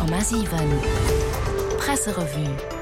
100,7 Presserevue.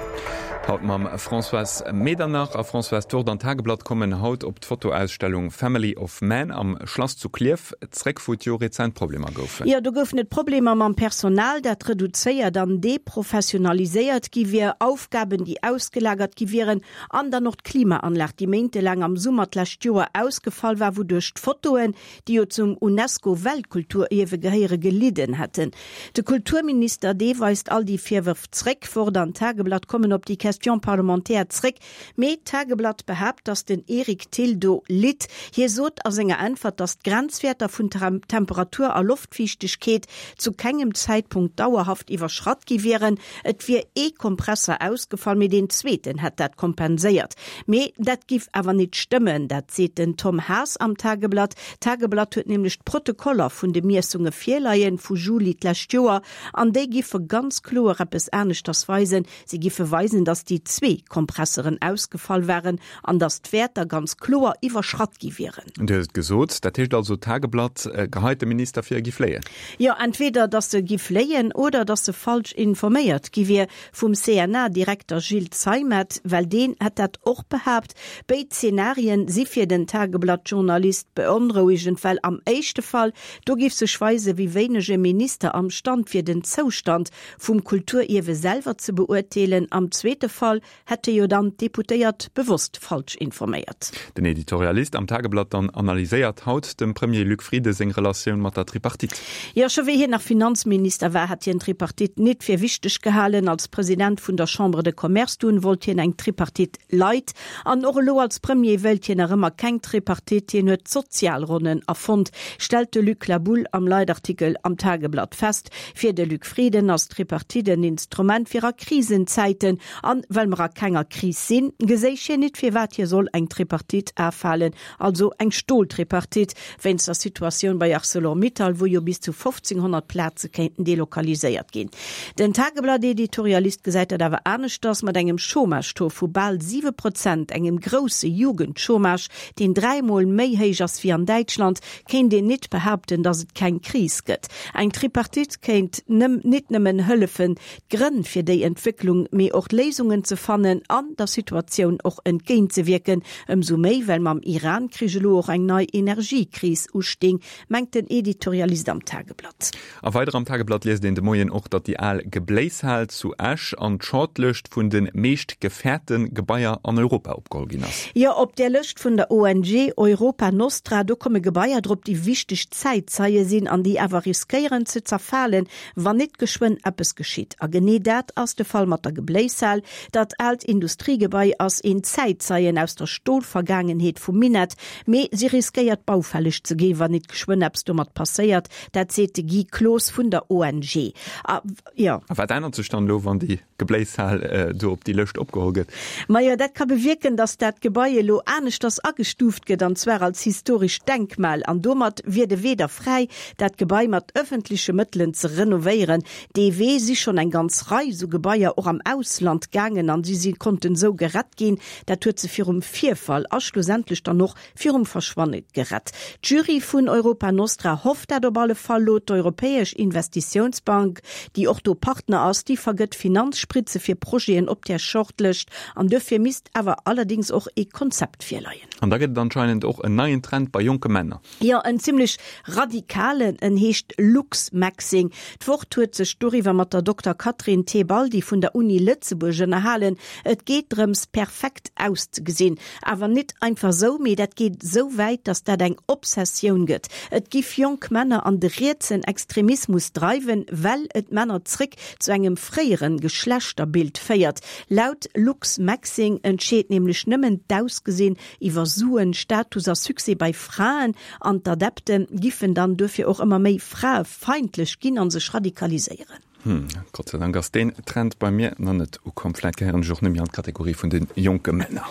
Haut mam Françoise Medernach a Françoise D'Wort an d'Tageblatt kommen haut op d'Fotoausstellung Family of Man am Schlass zu Klierf zréck, wou et jo rezent Problemer goufen. Jo, do goufen et Problemer mam Personal, dat reduzéiert an deprofessionaliséiert gi wier, Aufgaben, déi ausgelagert gi wieren an dann och d'Klimaanlag, déi méintelaang am Summer d'lescht Joer ausgefall war, wouduerch d'Fotoen, déi jo zum UNESCO-Weltkulturierwe gehéiere, gelidden hätten. De Kulturminister, dee weist all déi Virwërf zréck. Wort an Tageblatt kommen op déi Question parlementaire zréck, mee d'Tageblatt behaapt, datt den Eric Thill do litt. Hie sot a senger Äntwert, datt d'Grenzwäerter vun Temperatur a Loftfiichtegkeet zu kengem Zäitpunkt dauerhaft iwwerschratt gi wieren. Et wier ee Kompresser ausgefall, mee deen zweeten hätt dat kompenséiert. Mee dat giff awer nit stëmmen, dat seet den Tom Haas am Tageblatt. D'Tageblatt huet nämlech d'Protokoller vun de Miessunge virleien, vu Juli d'lescht Joer, an déi giffe ganz kloer eppes aneschters weisen. Si giffe weisen, datt déi zwee Kompresseren ausgefall waren an datt d'Wäerter ganz kloer iwwerschratt gi wieren. Du hues et gesot, dat heescht also, d'Tageblatt geheit de Minister vir, e giff léien? Jo, entweder datt e giff léien oder datt e falsch informéiert gi wier vum CNA-Direkter Gilles Zeimet, well deen hätt dat och behaapt. Béid Zenarien si fir den Tageblatt-Journalist beonrouegend, well am éischte Fall, do giff sech weisen, wéi wéineg e Minister am Stand wier, den Zoustand vum Kulturierwe selwer ze beurteelen, am zweete Fall Hätte jo dann d'Deputéiert bewosst falsch informéiert. Den Editorialist am Tageblatt dann analyséiert haut dem Premier Luc Frieden seng Relatioun mat der Tripartite. Jo, scho wéi hien nach Finanzminister war, hat hien d'Tripartite nit fir wichteg gehalen. Als President vun der Chambre de Commerce dunn wollt hien eng Tripartite light. An och elo als Premier wéilt hien nach ëmmer keng Tripartite. Hien huet d'Sozialronnen erfonnt, stellt de Luc Laboulle am Leitartikel am Tageblatt fest. Fir de Luc Frieden ass d'Tripartite en Instrument fir a Krisenzäiten An well mer a kenger Kris sinn, geséich hien nit firwat hie soll eng Tripartite afalen, also eng Stoltripartite, wéinst der Situatioun bei Arcelor-Mittal, wou jo bis zu 1500 Plaze kéinten delokaliséiert ginn. Den Tageblatt-Editorialist gesäit dat awer aneschters, mat engem Chômage-Taux vu bal 7 Prozent, engem grousse Jugendchômage, deen dräimol méi héich ass wéi an Däitschland, kéint een nit behaapten, datt et keng Kris gëtt. Eng Tripartite kéint nit nëmmen hëllefen, d'Grënn fir déi Entwécklung, mee och d'Léisungen ze fannen an der Situatioun och entgéintzewierken. Ëmsou méi, well mam Iran-Krich elo och eng nei Energiekris usting, mengt den Editorialist am Tageblatt. A weider am Tageblatt liest een de Moien och, datt déi al Gebléishal zu Esch an d'Shortlëscht vun de meescht gefäerte Gebaier an Europa opgeholl ginn ass. Jo, op där Lëscht vun der ONG Europa Nostra, do komme Gebaier drop, déi wichteg Zäitzeie sinn an déi awer riskéieren ze zerfalen, Wann nit geschwënn eppes geschitt, a genee dat ass de Fall mat der Gebléishal, dat aalt Industriegebai ass een Zäitzeien aus der Stolvergaangenheet vum Minett, mee si riskéiert baufälleg ze ginn, wann nit geschwënn eppes domat passéiert. Dat seet de Guy Cloos vun der ONG. A jo. A wat ännert sech dann elo, wann déi Gebléishal do op déi Lëscht opgeholl gëtt? Majo, dat ka bewierken, datt dat Gebai elo aneschters agestuuft gëtt, an zwar als historescht Denkmal. An domat wier de Wee da fräi, dat Gebai mat ëffentleche Mëttelen ze renovéieren. Dee Wee si schonn eng ganz Rei esou Gebaier och am Ausland gaangen an si si konnten esou gerett ginn. Dat huet se virum Virfall a schlussendlech dann och virum Verschwanne gerett. D'Jury vun Europa Nostra hofft dat op alle Fall lo. D'Europäesch Investitiounsbank, déi och do Partner ass, déi vergëtt Finanzspritze fir Projeten op där Shortlëscht an duerfir misst awer allerdéngs och ee Konzept virleien. An da gëtt et anscheinend och en neien Trend bei jonke Männer. Jo, en zimmlech radikalen, en heescht Looksmaxxing. D'Wort huet sech doriwwer mat der Dokter Catherine Tebaldi vun der Uni Lëtzebuerg ënnerhalen. Et geet drëms, perfekt auszegesinn. Awer nit einfach sou, mee dat geet sou wäit, datt dat eng Obsessioun gëtt. Et giff jonk Männer an de rietsen Extremismus dreiwen, well et d'Männer zréck zu engem fréieren Geschlechterbild féiert. Laut Looksmaxxing entscheet nämlech nëmmen d'Ausgesinn iwwer Suen, Status a Succès bei Fraen, an d'Adepte giffen dann duerfir och ëmmer méi fraefeindlech ginn a sech radikaliséieren. Hm, Gott sei Dank ass deen Trend bei mir nach net ukomm. Vläit gehéieren ech och net méi an d'Kategorie vun de jonke Männer.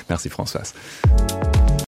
Merci Françoise.